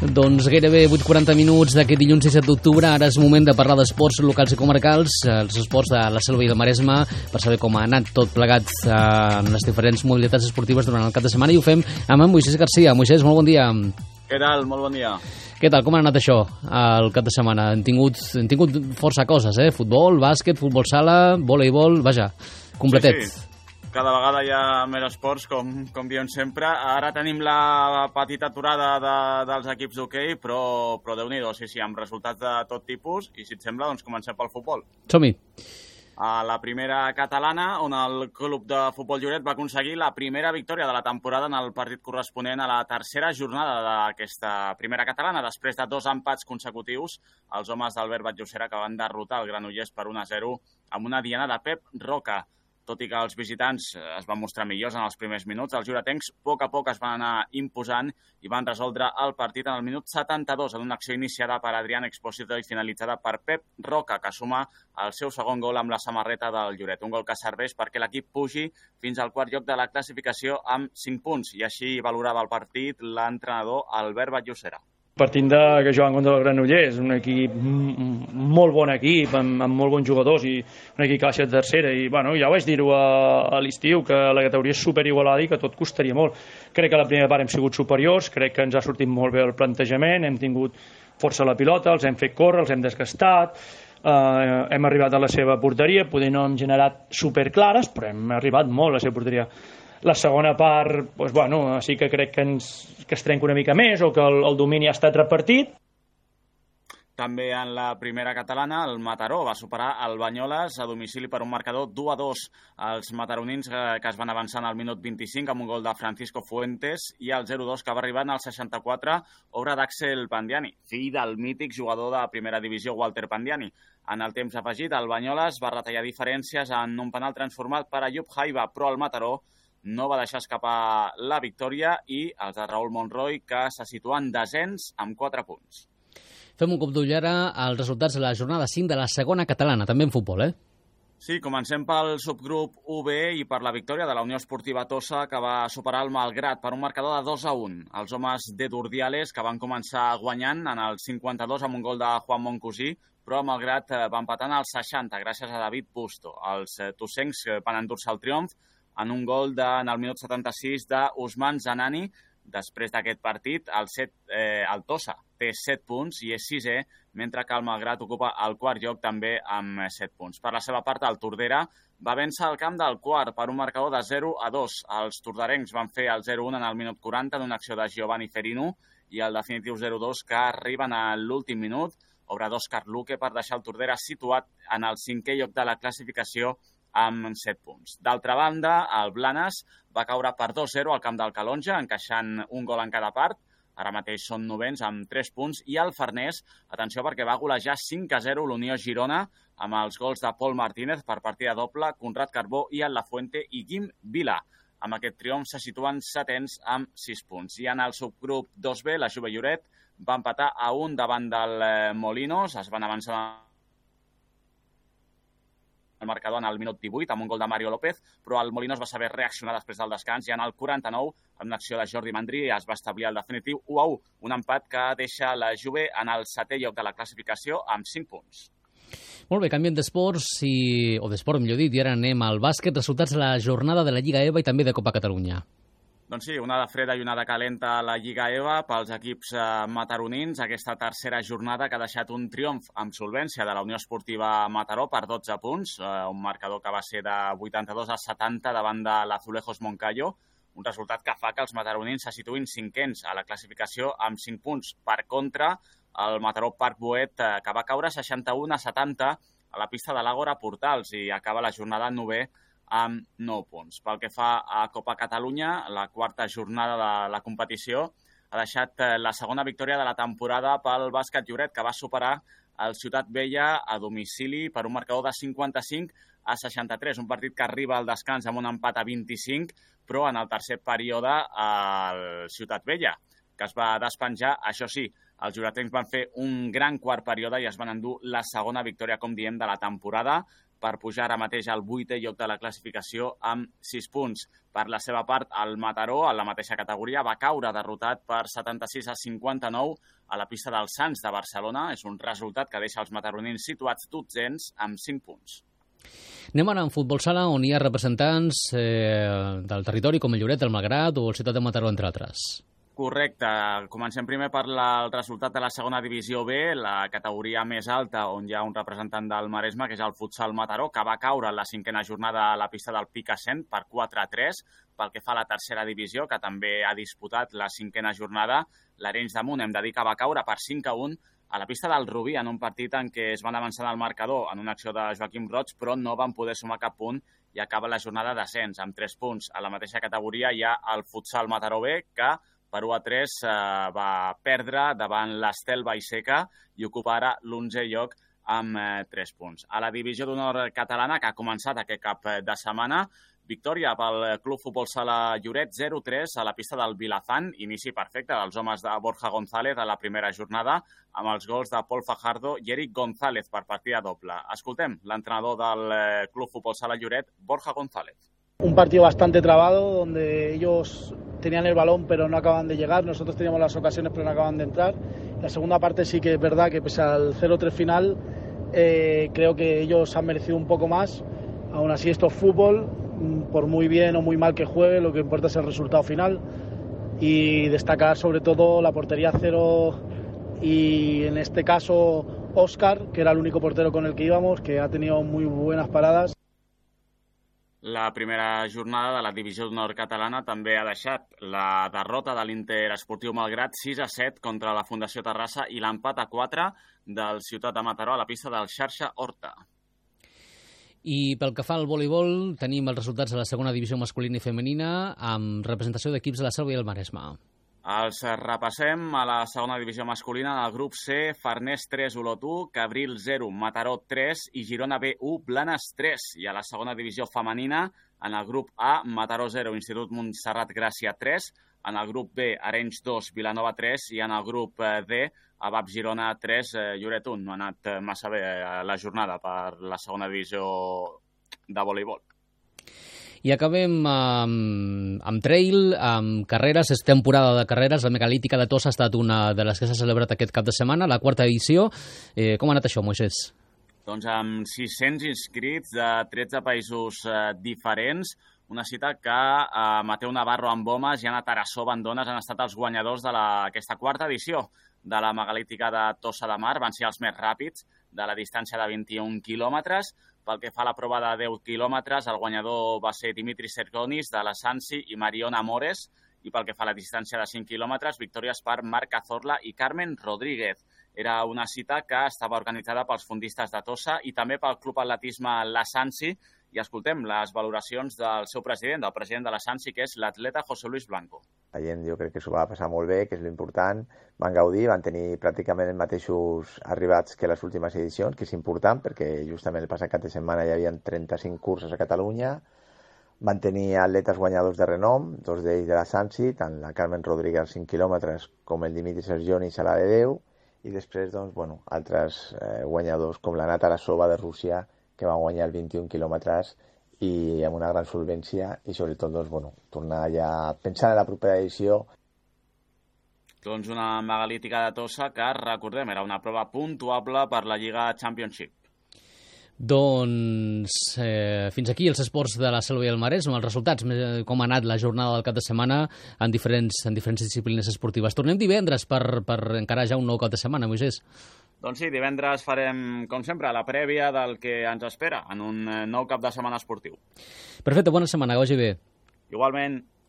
Doncs gairebé 8:40 minuts d'aquest dilluns 17 d'octubre. Ara és moment de parlar d'esports locals i comarcals, els esports de la Selva i del Maresme, per saber com ha anat tot plegat en les diferents modalitats esportives durant el cap de setmana. I ho fem amb en Moisés Garcia. Moisés, molt bon dia. Què tal? Molt bon dia. Què tal? Com ha anat això el cap de setmana? Hem tingut força coses, Futbol, bàsquet, futbol sala, voleibol, vaja, completet. Sí. Cada vegada hi ha més esports, com diem sempre. Ara tenim la petita aturada dels equips d'hoquei, però Déu-n'hi-do, sí, amb resultats de tot tipus. I si et sembla, doncs comencem pel futbol. Som-hi. A la primera catalana, on el club de futbol Lloret va aconseguir la primera victòria de la temporada en el partit corresponent a la tercera jornada d'aquesta primera catalana. Després de 2 empats consecutius, els homes d'Albert Batllocera que van derrotar el Granollers per 1-0 amb una diana de Pep Roca. Tot i que els visitants es van mostrar millors en els primers minuts, els lloretencs a poc es van anar imposant i van resoldre el partit en el minut 72 en una acció iniciada per Adrián Expósito i finalitzada per Pep Roca, que suma el seu segon gol amb la samarreta del Lloret. Un gol que serveix perquè l'equip pugi fins al quart lloc de la classificació amb 5 punts, i així valorava el partit l'entrenador Albert Batllocera. Partint que juguen contra el Granollers, un equip, molt bon equip, amb molt bons jugadors i un equip que va ser tercera. I ja vaig dir-ho a l'estiu, que la categoria és superigualada i que tot costaria molt. Crec que a la primera part hem sigut superiors, crec que ens ha sortit molt bé el plantejament, hem tingut força a la pilota, els hem fet córrer, els hem desgastat, hem arribat a la seva porteria, poder no hem generat superclares, però hem arribat molt a la seva porteria. La segona part, sí que crec que es trenca una mica més o que el domini ha estat repartit. També en la primera catalana, el Mataró va superar el Banyoles a domicili per un marcador 2-2. Els mataronins que es van avançar al minut 25 amb un gol de Francisco Fuentes i el 0-2 que va arribar al 64, obra d'Àxel Pandiani, fill del mític jugador de primera divisió Walter Pandiani. En el temps afegit, el Banyoles va retallar diferències en un penal transformat per Ayub Jaiba, però el Mataró no va deixar escapar la victòria i els de Raúl Monroy, que se situen desens amb 4 punts. Fem un cop d'ull ara als resultats de la jornada 5 de la segona catalana, també en futbol, Sí, comencem pel subgrup UB i per la victòria de la Unió Esportiva Tossa, que va superar el Malgrat per un marcador de 2-1. Els homes de Durdiales, que van començar guanyant en el 52 amb un gol de Juan Moncosí, però el Malgrat va empatar en el 60 gràcies a David Busto. Els tossencs van endur-se el triomf en un gol en el minut 76 d'Ousmane Zanani. Després d'aquest partit, el Tossa té 7 punts i és 6è, mentre que el Malgrat ocupa el quart lloc també amb 7 punts. Per la seva part, el Tordera va vèncer el camp del Quart per un marcador de 0-2. Els torderencs van fer el 0-1 en el minut 40 en una acció de Giovanni Ferino i el definitiu 0-2 que arriben a l'últim minut, obra d'Òscar Luque, per deixar el Tordera situat en el 5è lloc de la classificació amb 7 punts. D'altra banda, el Blanes va caure per 2-0 al camp del Calonja, encaixant un gol en cada part. Ara mateix són 9ens amb 3 punts. I el Farners, atenció, perquè va golejar 5-0 l'Unió Girona amb els gols de Pol Martínez per partida doble, Conrad Carbó i el Lafuente i Guim Vila. Amb aquest triomf se situen 7ens amb 6 punts. I en el subgrup 2B, la Jove Lloret va empatar a 1 davant del Molinos. Es van avançar el marcador en el minut 18 amb un gol de Mario López, però el Molinos va saber reaccionar després del descans i en el 49, amb una acció de Jordi Mandri, es va establir el definitiu 1-1, un empat que deixa la Juve en el 7è lloc de la classificació amb 5 punts. Molt bé, canviem d'esports, o d'esport millor dit, i ara anem al bàsquet, resultats de la jornada de la Lliga EVA i també de Copa Catalunya. Doncs sí, una de freda i una de calenta a la Lliga EVA pels equips mataronins. Aquesta tercera jornada que ha deixat un triomf amb solvència de la Unió Esportiva Mataró per 12 punts, un marcador que va ser de 82-70 davant de l'Azulejos Moncayo, un resultat que fa que els mataronins se situïn 5ens a la classificació amb 5 punts. Per contra, el Mataró Parc Boet, que va caure 61-70 a la pista de l'Àgora Portals i acaba la jornada 9è amb 9 punts. Pel que fa a Copa Catalunya, la quarta jornada de la competició ha deixat la segona victòria de la temporada pel bàsquet Lloret, que va superar el Ciutat Vella a domicili per un marcador de 55-63. Un partit que arriba al descans amb un empat a 25, però en el tercer període el Ciutat Vella, que es va despenjar. Això sí, els lloretencs van fer un gran quart període i es van endur la segona victòria, com diem, de la temporada per pujar ara mateix al 8è lloc de la classificació amb 6 punts. Per la seva part, el Mataró, en la mateixa categoria, va caure derrotat per 76-59 a la pista del Sants de Barcelona. És un resultat que deixa els mataronins situats dotzens amb 5 punts. Anem ara en futbol sala, on hi ha representants del territori com el Lloret, el Malgrat o el Ciutat de Mataró, entre altres. Correcte. Comencem primer per el resultat de la segona divisió B, la categoria més alta, on hi ha un representant del Maresme, que és el Futsal Mataró, que va caure en la 5a jornada a la pista del Picassent per 4-3. Pel que fa a la tercera divisió, que també ha disputat la 5a jornada, l'Arenys de Munt, hem de dir que va caure per 5-1 a la pista del Rubí, en un partit en què es van avançar al marcador en una acció de Joaquim Roig, però no van poder sumar cap punt i acaba la jornada d'ascens amb 3 punts. A la mateixa categoria hi ha el Futsal Mataró B, que per 1-3 va perdre davant l'Estel Vallseca i ocupa ara l'11è lloc amb 3 punts. A la divisió d'honor catalana, que ha començat aquest cap de setmana, victòria pel Club Futbol Sala Lloret 0-3 a la pista del Vilafant, inici perfecte dels homes de Borja González a la primera jornada, amb els gols de Pol Fajardo i Eric González per partida doble. Escoltem l'entrenador del Club Futbol Sala Lloret, Borja González. Un partido bastante trabado, donde ellos tenían el balón pero no acaban de llegar, nosotros teníamos las ocasiones pero no acaban de entrar. La segunda parte sí que es verdad que pese al 0-3 final, creo que ellos han merecido un poco más. Aún así esto es fútbol, por muy bien o muy mal que juegue, lo que importa es el resultado final. Y destacar sobre todo la portería cero y en este caso Óscar, que era el único portero con el que íbamos, que ha tenido muy buenas paradas. La primera jornada de la divisió d'honor catalana també ha deixat la derrota de l'Inter Esportiu Malgrat 6-7 contra la Fundació Terrassa i l'empat a 4 del Ciutat de Mataró a la pista del Xarxa Horta. I pel que fa al voleibol, tenim els resultats de la segona divisió masculina i femenina amb representació d'equips de la Selva i el Maresme. Els repassem a la segona divisió masculina. En el grup C, Farners 3, Olot 1, Cabril 0, Mataró 3 i Girona B 1, Blanes 3. I a la segona divisió femenina, en el grup A, Mataró 0, Institut Montserrat Gràcia 3, en el grup B, Arenys 2, Vilanova 3 i en el grup D, Abab Girona 3, Lloret 1. No ha anat massa bé la jornada per la segona divisió de voleibol. I acabem amb trail, amb carreres. És temporada de carreres. La megalítica de Tossa ha estat una de les que s'ha celebrat aquest cap de setmana, la 4ª edició. Com ha anat això, Moisés? Doncs amb 600 inscrits de 13 països diferents, una cita que Mateu Navarro amb homes i Anna Tarassó amb dones han estat els guanyadors d'aquesta 4ª edició de la megalítica de Tossa de Mar. Van ser els més ràpids de la distància de 21 quilòmetres. Pel que fa a la prova de 10 quilòmetres, el guanyador va ser Dimitri Sergonis de la Sansi i Mariona Mores. I pel que fa a la distància de 5 quilòmetres, victòries per Marc Cazorla i Carmen Rodríguez. Era una cita que estava organitzada pels fundistes de Tossa i també pel Club Atletisme La Sansi. I escoltem les valoracions del seu president, del president de la Sansi, que és l'atleta José Luis Blanco. La gent jo crec que s'ho va passar molt bé, que és l'important. Van gaudir, van tenir pràcticament els mateixos arribats que les últimes edicions, que és important perquè justament el passat cap de setmana hi havia 35 curses a Catalunya. Van tenir atletes guanyadors de renom, 2 d'ells de la Sansi, tant la Carmen Rodríguez als 5 quilòmetres com el Dimitri Sergonis a la de 10, i després altres guanyadors com la Nata Lasova de Rússia, que van guanyar el 21 quilòmetres i amb una gran solvència i sobretot tornar ja pensant en la propera edició. Doncs una megalítica de Tossa que, recordem, era una prova puntuable per la Lliga Championship. Doncs fins aquí els esports de la Selva i el Maresme, els resultats, com ha anat la jornada del cap de setmana en diferents disciplines esportives. Tornem divendres per encarar ja un nou cap de setmana, Moisés. Doncs sí, divendres farem, com sempre, la prèvia del que ens espera en un nou cap de setmana esportiu. Perfecte, bona setmana, que vagi bé. Igualment.